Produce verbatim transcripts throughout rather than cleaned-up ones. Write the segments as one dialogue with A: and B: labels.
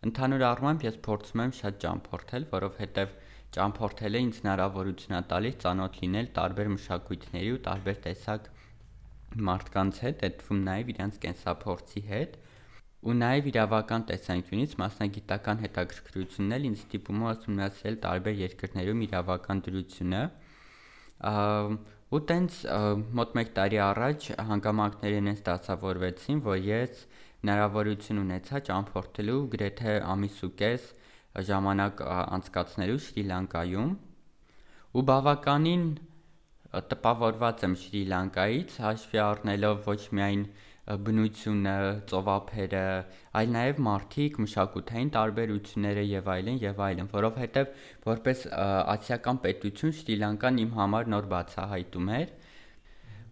A: Ընդհանուր առմամբ ես փորձում եմ շատ ճամփորդել, որովհետև ճամփորդելը ինձ հնարավորություն է տալիս ծանոթ լինել տարբեր մշակույթների ու տարբեր տեսակ մարդկանց հետ, այդ թվում նաև իրենց կենսափորձի հետ, ու նաև իրավական տեսանկյունից մասնագիտական հետաքրքրությունն էլ ինձ ստիպում է ուսումնասիրել տարբեր երկրներում իրավական դրությունը, ու տենց մոտ մեկ տարի առաջ հանգամանքները ինձ դասավորվեցին, որ ես հնարավորություն ունեցա ճամփորդելու գրեթե ամիս ու կես ժամանակ անցկացնելու Շրի Լանկայում, ու բավականին տպավորված եմ Շրի Լանկայից, հաշվի առնելով ոչ միայն բնությունը, ծովափերը, այլ նաև մարդիկ, մշակութային տարբերությունները եւ այլն եւ այլն, որովհետեւ որպես ասիական պետություն Շրի Լանկան իմ համար նոր բացահայտում էր,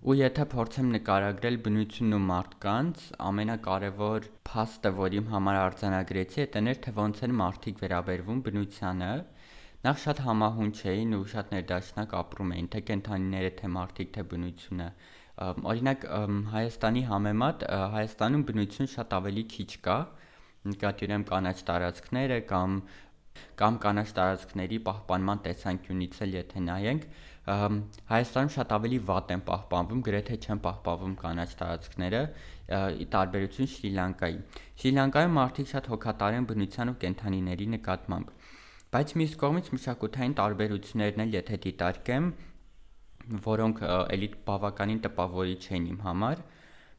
A: ու եթե փորձեմ նկարագրել բնությունն ու մարդկանց, ամենակարևոր փաստը, որ իմ համար արձանագրեցի, դա էր, թե ոնց են մարդիկ վերաբերվում բնությանը, նախ շատ համահունչ էին ու շատ ներդաշնակ ապրում էին, թե կենդանիները, թե մարդիկ, թե բնությունը, օրինակ Հայաստանի համեմատ Հայաստանում բնություն շատ ավելի քիչ կա, նկատի ունեմ կանաչ տարածքները կամ կամ կանաչ տարածքների պահպանման տեսանկյունից էլ եթե նայենք, Հայաստանում շատ ավելի վատ են պահպանվում, գրեթե չեն պահպանվում կանաչ տարածքները, ի տարբերություն Շրի Լանկայի։ Շրի Լանկայում մարդիկ շատ հոգատար են բնության ու կենդանիների նկատմամբ, բայց մյուս կողմից մշակութային տարբերություններն էլ եթե դիտարկեմ, որոնք էլի բավականին տպավորիչ էին իմ համար,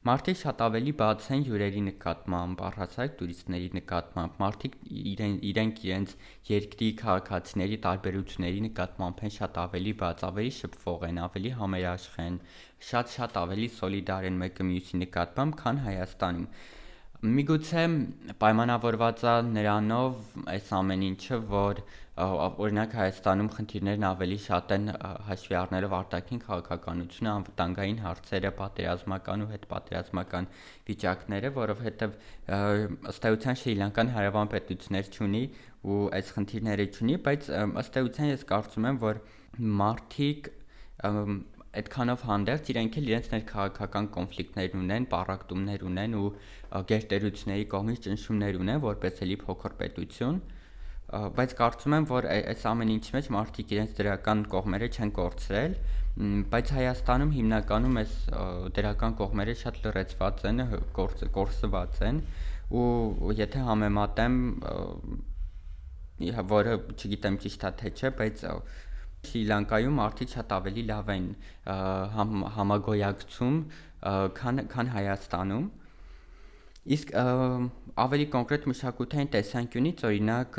A: մարդիկ շատ ավելի բաց են հյուրերի նկատմամբ, առհասարակ տուրիստների նկատմամբ, մարդիկ իրեն, իրենք իրենց երկրի քաղաքացիների տարբերությունների նկատմամբ են շատ ավելի բաց, ավելի շփվող են, ավելի համերաշխ են, շատ-շատ ավելի սոլիդար են մեկը մյուսի նկատմամբ, քան Հայաստանում։ Միգուցե պայմանավորված է նրանով այս ամեն ինչը, որ օրինակ Հայաստանում խնդիրներն ավելի շատ են հաշվի առնելով արտաքին քաղաքականությունը, անվտանգային հարցերը, պատերազմական ու հետպատերազմական վիճակները, որովհետև ըստ էության Շրի Լանկան հարևան պետություններ չունի ու այս խնդիրները չունի, բայց ըստ էության ես կարծում եմ, որ մարդիկ այդքանով հանդերձ իրենք էլ իրենց ներքաղաքական կոնֆլիկտներ ունեն, պառակտումներ ունեն ու գերտերությունների կողմից ճնշումներ ունեն, որպես էլի փոքր պետություն, բայց կարծում եմ, որ այս ամեն ինչի մեջ մարդիկ իրենց դրական կողմերը չեն կորցրել, բայց Հայաստանում հիմնականում այս դրական կողմերը շատ լրացված են, կորսված են, ու եթե համեմատեմ, որը չգիտեմ ճիշտ է թե չէ, բայց Շրի Լանկայում մարդիկ շատ ավելի լավ են համագոյակցում, քան քան Հայաստանում, իսկ ավելի կոնկրետ մշակութային տեսանկյունից, օրինակ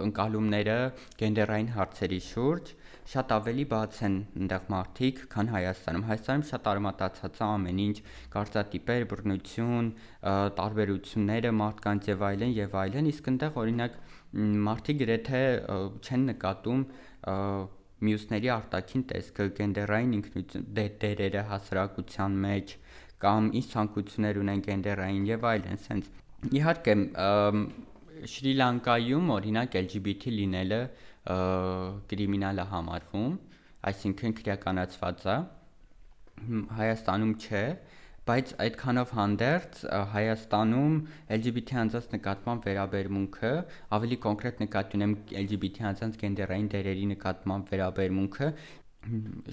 A: ընկալումները գենդերային հարցերի շուրջ շատ ավելի բաց են այնտեղ մարդիկ, քան Հայաստանում։ Հայաստանում շատ արմատացած է ամեն ինչ, կարծրատիպեր, բռնություն, տարբերությունները մարդկանց եւ այլն եւ այլն, իսկ այնտեղ օրինակ մարդիկ գրեթե չեն նկատում մյուսների արտաքին տեսքը, գենդերային ինքնություն, դերերը հասարակության մեջ, կամ ինչ ցանկություններ ունեն գենդերային եւ այլն, սենց։ Իհարկե, Շրի Լանկայում օրինակ L G B T լինելը կրիմինալ է համարվում, այսինքն քրեականացված է, Հայաստանում չէ, բայց այդքանով հանդերձ Հայաստանում L G B T անձանց նկատմամբ վերաբերմունքը, ավելի կոնկրետ նկատի ունեմ L G B T անձանց գենդերային դերերի նկատմամբ վերաբերմունքը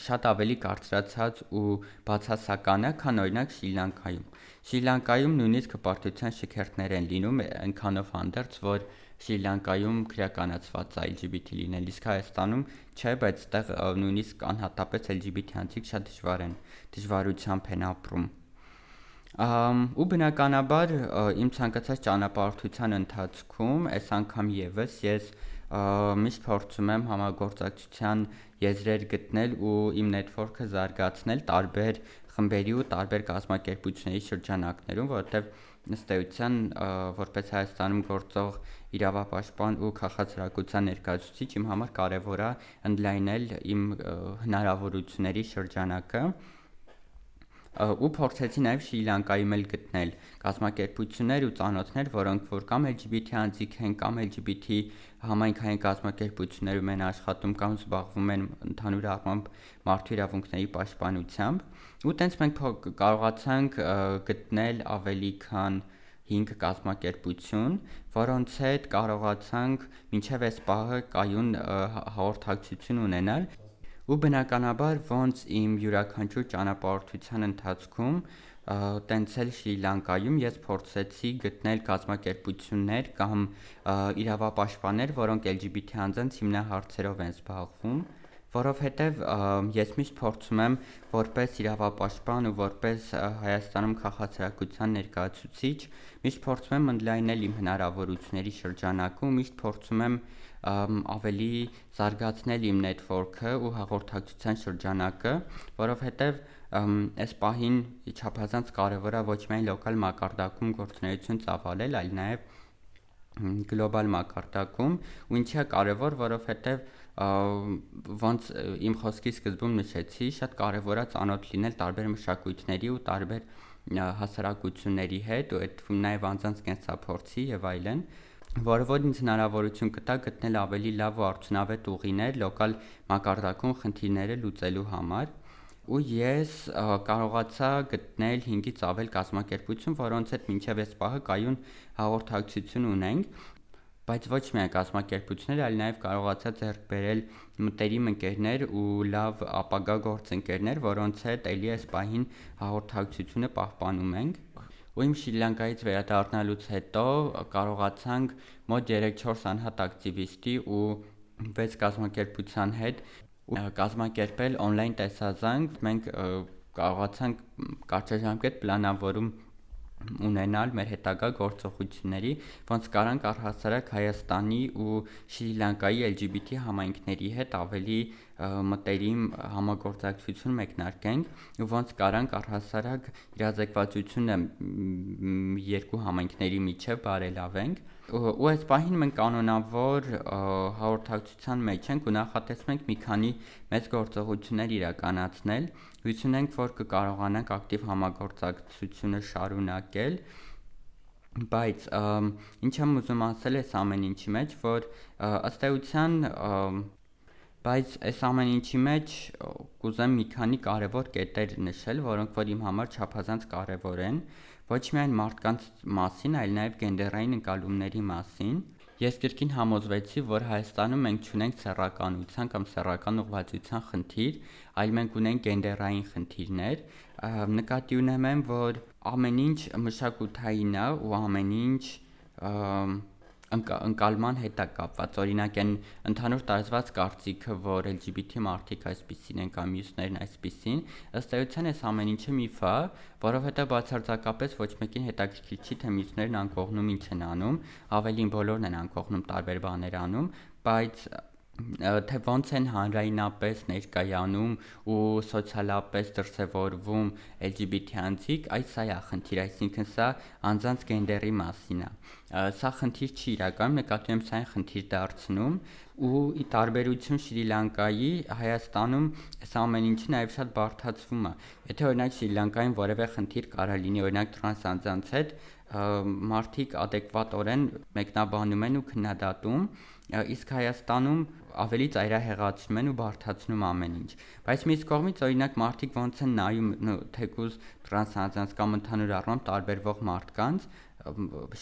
A: շատ ավելի կարծրացած ու բացասական է, քան օրինակ Շրի Լանկայում։ Շրի Լանկայում նույնիսկ հպարտության շքերթներ են լինում, այնքանով հանդերձ, որ Շրի Լանկայում քրեականացված է L G B T լինել, իսկ Հայաստանում չէ, բայց այդտեղ նույնիսկ անհատապես L G B T անձիկ շատ դժվար են, դժվարությամբ են ապրում։ Ու բնականաբար իմ ցանկացած ճանապարհորդության ընթացքում, այս անգամ եւս ես միշտ փորձում եմ համագործակցության եզրեր գտնել ու իմ նետվորքը զարգացնել տարբեր խմբերի ու տարբեր կազմակերպությունների շրջանակներում, որովհետև ըստ էության որպես Հայաստանում գործող իրավապաշտպան ու քաղաքացիական ներկայացուցիչ իմ համար կարևոր է ընդլայնել իմ հնարավորությունների շրջանակը ու փորձեցի նաև Շրի Լանկայում էլ գտնել կազմակերպություններ ու ծանոթներ, որոնք որ կամ L G B T անձիկ են, կամ L G B T համայնքային կազմակերպություններում են աշխատում կամ զբաղվում են ընդհանուր առմամբ մարդու իրավունքների պաշտպանությամբ, ու տենց մենք կարողացանք գտնել ավելի քան հինգ կազմակերպություն, որոնց հետ կարողացանք մինչև այս պահը կայուն հաղորդակցություն ունենալ։ Ու բնականաբար ոնց իմ յուրաքանչյուր ճանապարհորդության ընթացքում տենց էլ Շրի Լանկայում ես փորձեցի գտնել կազմակերպություններ կամ իրավապաշտպաններ, որոնք L G B T անձանց հիմնահարցերով են զբաղվում, որովհետև ես միշտ փորձում եմ որպես իրավապաշտպան ու որպես Հայաստանում քաղաքացիական ներկայացուցիչ միշտ փորձում եմ ընդլայնել իմ հնարավորությունների շրջանակը ու միշտ փորձում եմ ավելի զարգացնել իմ network-ը ու հաղորդակցության շրջանակը, որովհետև այս պահին չափազանց կարևոր է ոչ միայն լոկալ մակարդակում գործունեություն ծավալել, այլ նաև գլոբալ մակարդակում, ու ինչի է կարևոր, որովհետև ոնց իմ խոսքի սկզբում նշեցի, շատ կարևոր է ծանոթ լինել տարբեր մշակույթների ու տարբեր հասարակությունների հետ, ու այդ թվում նաև անձանց կենսափորձի եւ այլն, որը որ ինձ հնարավորություն կտա գտնել ավելի լավ ու արդյունավետ ուղիներ լոկալ մակարդակում խնդիրները լուծելու համար։ Ու ես կարողացա գտնել հինգից ավել կազմակերպություն, որոնց հետ մինչև այս պահը կայուն հաղորդակցություն ունենք, բայց ոչ միայն կազմակերպություններ, այլ նաև կարողացա ձեռք բերել մտերիմ ընկերներ ու լավ ապագա գործընկերներ, որոնց հետ էլի այս պահին հաղորդակցությունը պահպանում ենք։ Ու իմ Շրի Լանկայից վերադառնալուց հետո կարողացանք մոտ երեք-չորս անհատ ակտիվիստի ու վեց կազմակերպության հետ կազմակերպել on-line տեսազանգ, մենք կարողացանք կարճաժամկետ պլանավորում ունենալ մեր հետագա գործողությունների, ոնց կարանք առհասարակ Հայաստանի ու Շրի Լանկայի L G B T համայնքների հետ ավելի մտերիմ համագործակցություն մեկնարկենք ու ոնց կարանք առհասարակ իրազեկվածությունը երկու համայնքների միջև բարելավենք։ Ու այս պահին մենք կանոնավոր հաղորդակցության մեջ ենք ու նախատեսում ենք մի քանի մեծ գործողություններ իրականացնել, հույս ունենք, որ կկարողանանք ակտիվ համագործակցությունը շարունակել, բայց ինչ եմ ուզում ասել այս ամեն ինչի մեջ, որ ըստ էության բայց այս ամեն ինչի մեջ կուզեմ մի քանի կարևոր կետեր նշել, որոնք որ իմ համար չափազանց կարևոր են, ոչ միայն մարդկանց մասին, այլ նաև գենդերային ընկալումների մասին։ Ես կրկին համոզվեցի, որ Հայաստանում մենք չունենք սեռականության կամ սեռական ուղղվածության խնդիր, այլ մենք ունենք գենդերային խնդիրներ։ Նկատի ունեմ, որ ամեն ինչ մշակութային է ու ամեն ինչ ընկալման հետ է կապված, օրինակ այն ընդհանուր տարածված կարծիքը, որ L G B T մարդիկ այսպիսին են կամ մյուսներն այսպիսին, ըստ էության այս ամեն ինչը միֆ է, որովհետև բացարձակապես ոչ մեկին հետաքրքիր չի, թե մյուսներն անկողնում ինչ են անում, ավելին բոլորն են անկողնում տարբեր բաներ անում, բայց թե ոնց են հանրայնապես ներկայանում ու սոցիալապես դրսևորվում L G B T անձիկ, այս սա է խնդիր, այսինքն սա անձանց գենդերի մասին է։ Սա խնդիր չի իրականում, նկատի եմ սա այն խնդիր դարձնում ու ի տարբերություն Շրի Լանկայի Հայաստանում այս ամեն ինչը նաև շատ բարդացվում է։ Եթե օրինակ Շրի Լանկայում որևէ խնդիր կարա լինի, օրինակ տրանս անձանց հետ, մարդիկ adekvatորեն մեկնաբանում են ու քննադատում, իսկ Հայաստանում ավելի ծայրահեղացնում են ու բարդացնում ամեն ինչ։ Բայց մյուս կողմից օրինակ մարդիկ ոնց են նայում թեկուզ տրանս անձանց կամ ընդհանուր առմամբ տարբերվող մարդկանց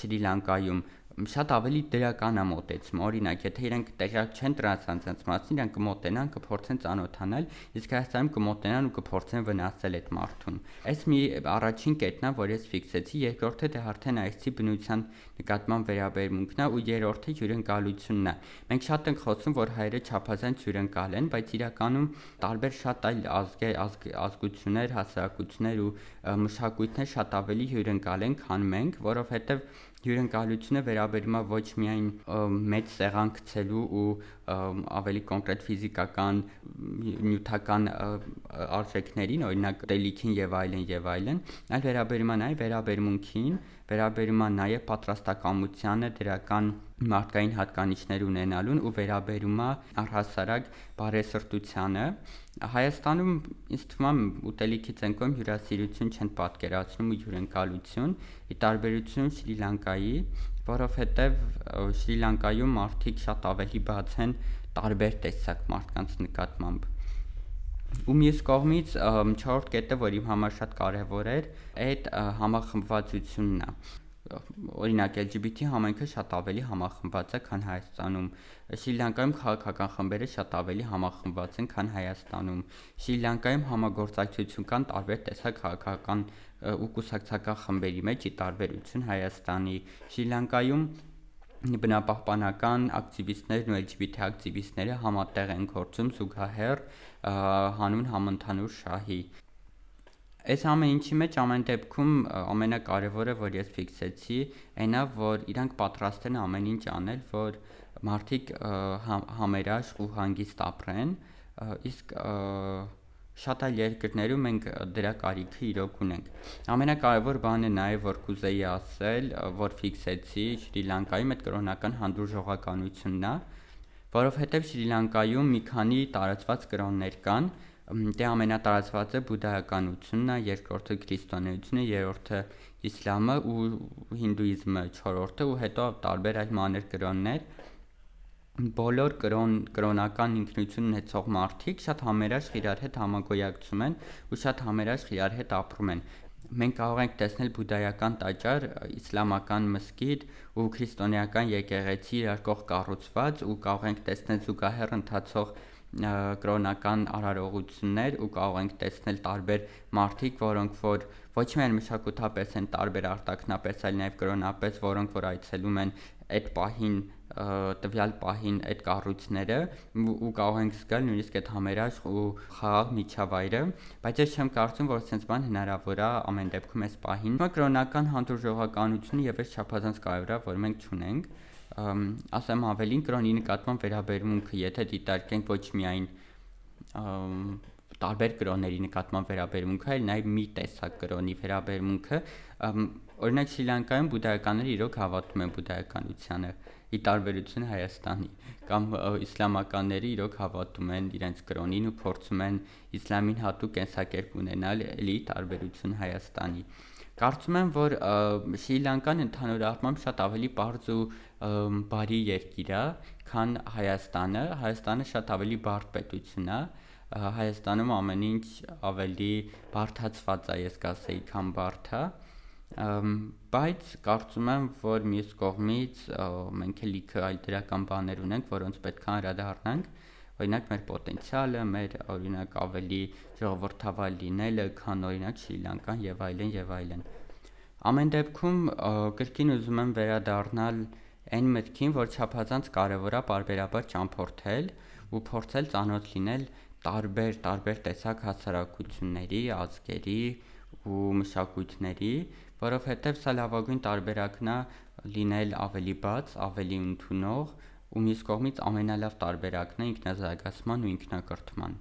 A: Շրի Լանկայում շատ ավելի դրական է մոտեցում, օրինակ, եթե իրենք տեղյակ չեն տրանս անձանց մասին, իրենք կմոտենան, կփորձեն ծանոթանալ, իսկ Հայաստանում կմոտենան ու կփորձեն վնասել այդ մարդուն։ Այս մի առաջին կետն է, որ ես ֆիքսեցի, երկրորդը դե արդեն այսի բնության նկատմամբ վերաբերմունքն է ու երրորդը հյուրընկալությունն է։ Մենք շատ ենք խոսում, որ հայերը չափազանց հյուրընկալ են, բայց իրականում տարբեր շատ այլ ազգեր, ազգություններ, հասարակություններ ու մշակույթներ շատ ավելի հյուրընկալ են, քան մենք, որովհետև հյուրընկալությունը վերաբերում է ոչ միայն մեծ սեղան գցելու ու ավելի կոնկրետ ֆիզիկական, նյութական արժեքներին, օրինակ ուտելիքին եւ այլն եւ այլն, այլ վերաբերում է նաեւ վերաբերմունքին, վերաբերում է նաեւ պատրաստակամությանը, դրական մարդկային հատկանիշներ ունենալուն ու վերաբերում է առհասարակ բարեսրտությանը։ Հայաստանում ինձ թվում է ուտելիքից են կողմ հյուրասիրություն չեն պատկերացնում ու հյուրընկալություն, ի տարբերություն Շրի Լանկայի, որովհետև Շրի Լանկայում մարդիկ շատ ավելի բաց են տարբեր տեսակ մարդկանց նկատմամբ։ Ու մյուս կողմից չորրորդ կետը, որ իմ համար շատ կարևոր էր, այդ համախմբվածությունն է։ օրինակ L G B T համայնքը շատ ավելի համախմբված է, քան Հայաստանում։ Շրի Լանկայում քաղաքական խմբերը շատ ավելի համախմբված են, քան Հայաստանում։ Շրի Լանկայում համագործակցություն կան տարբեր տեսակ քաղաքական ու կուսակցական խմբերի մեջ՝ ի տարբերություն Հայաստանի։ Շրի Լանկայում բնապահպանական ակտիվիստներն ու L G B T ակտիվիստները համատեղ են գործում զուգահեռ հանուն համընդհանուր շահի։ Այս ամեն ինչի մեջ ամեն դեպքում ամենակարևորը, որ ես ֆիքսեցի, այն է, որ իրանք պատրաստ են ամեն ինչ անել, որ մարդիկ համերաշխ ու հանգիստ ապրեն, իսկ շատ այլ երկրներում մենք դրա կարիքը իրոք ունենք։ Ամենակարևոր բանը նաև որ կուզեի ասել, որ ֆիքսեցի Շրի Լանկայում այդ կրոնական հանդուրժողականությունն է, որովհետև Շրի Լանկայում մի քանի տարածված կրոններ կան, դե ամենատարածվածը բուդդայականությունն է, երկրորդը քրիստոնեությունը, երրորդը իսլամը ու հինդուիզմը, չորրորդը ու հետո տարբեր այլ մանր կրոններ։ Բոլոր կրոն, կրոնական ինքնություն ունեցող մարդիկ շատ համերաշխ իրար հետ համագոյակցում են ու շատ համերաշխ իրար հետ ապրում են։ Մենք կարող ենք տեսնել բուդդայական տաճար, իսլամական մզկիթ ու քրիստոնեական եկեղեցի իրար կողք կառուցված ու կարող ենք տեսնել զուգահեռ ընթացող կրոնական արարողություններ ու կարող ենք տեսնել տարբեր մարդիկ, որոնք որ ոչ միայն մշակութապես են տարբեր արտաքնապես, այլ նաև կրոնապես, որոնք որ այցելում են այդ պահին տվյալ պահին այդ կառույցները ու կարող ենք զգալ նույնիսկ այդ համերաշխ ու խաղաղ միջավայրը, բայց ես չեմ կարծում, որ sense բան հնարավոր է ամեն դեպքում այս պահին։ Կրոնական հանդուրժողականությունը եւս չափազանց կարևոր է, որ մենք չունենք, ասեմ ավելին կրոնի նկատմամբ վերաբերմունքը, եթե դիտարկենք ոչ միայն տարբեր կրոնների նկատմամբ վերաբերմունքը, այլ նաև մի տեսակ կրոնի վերաբերմունքը, օրինակ Շրի Լանկայում բուդդայականները իրոք հավատում են բուդդայականությանը, ի տարբերություն Հայաստանի, կամ իսլամականները իրոք հավատում են իրենց կրոնին ու փորձում են իսլամին հատուկ կենսակերպ ունենալ, էլի տարբերություն Հայաստանի։ Կարծում եմ, որ Շրի Լանկան ընդհանուր առմամբ շատ ավելի պարզ ու բարի երկիր է, քան Հայաստանը։ Հայաստանը շատ ավելի բարդ պետություն է։ Հայաստանում ամեն ինչ ավելի բարդացված է, ես կասեի, քան բարդ է։ Բայց կարծում եմ, որ մյուս կողմից մենք էլ լիքը այլ դրական բաներ ունենք, որոնց պետք է անդրադառնանք, օրինակ մեր պոտենցիալը, մեր օրինակ ավելի ժողովրդավար լինելը, քան օրինակ Շրի Լանկան եւ այլն եւ այլն։ Ամեն դեպքում կրկին ուզում եմ վերադառնալ այն մտքին, որ չափազանց կարևոր է պարբերաբար ճամփորդել ու փորձել ծանոթ լինել տարբեր տարբեր տեսակ հասարակությունների, ազգերի ու մշակույթների, որովհետև սա լավագույն տարբերակն է լինել ավելի բաց, ավելի ընդունող ու մյուս կողմից ամենալավ տարբերակն է ինքնազարգացման ու ինքնակրթման։